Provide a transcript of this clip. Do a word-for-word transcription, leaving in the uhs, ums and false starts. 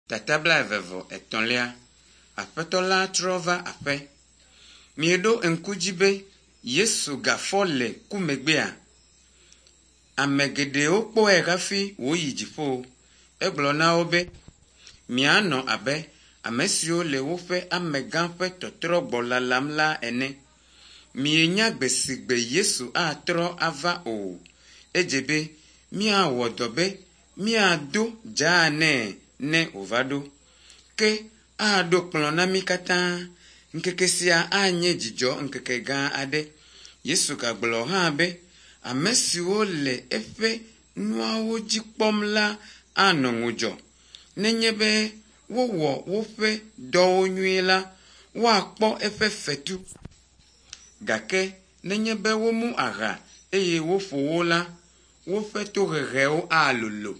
Tata blaeve vɔ etɔ̃lia. Aƒetɔ la trɔ va aƒe. Mieɖo ŋku dzi be Yesu gafɔ le ku megbea? Ame geɖewo kpɔe hafi wòyi dziƒo. Egblɔ na wo be, mianɔ abe ame siwo le woƒe amegã ƒe tɔtrɔgbɔ lalam la ene. Mienya gbe si gbe Yesu atrɔ ava o. Edze be míawɔ dɔ be míado dzaa nɛ ne wòva ɖo. Ke aɖo kplɔ̃ na mí katã. Ŋkeke sia anye dzidzɔ ŋkeke gã aɖe. Yesu gagblɔ hã be ame siwo le eƒe nuawo dzi kpɔm la anɔ ŋudzɔ. Nenye be wowɔ woƒe dɔwo nyuie la, woakpɔ eƒe fetu. Gake nenye be womu aha eye woƒo wo la, woƒe tohehewo alolo.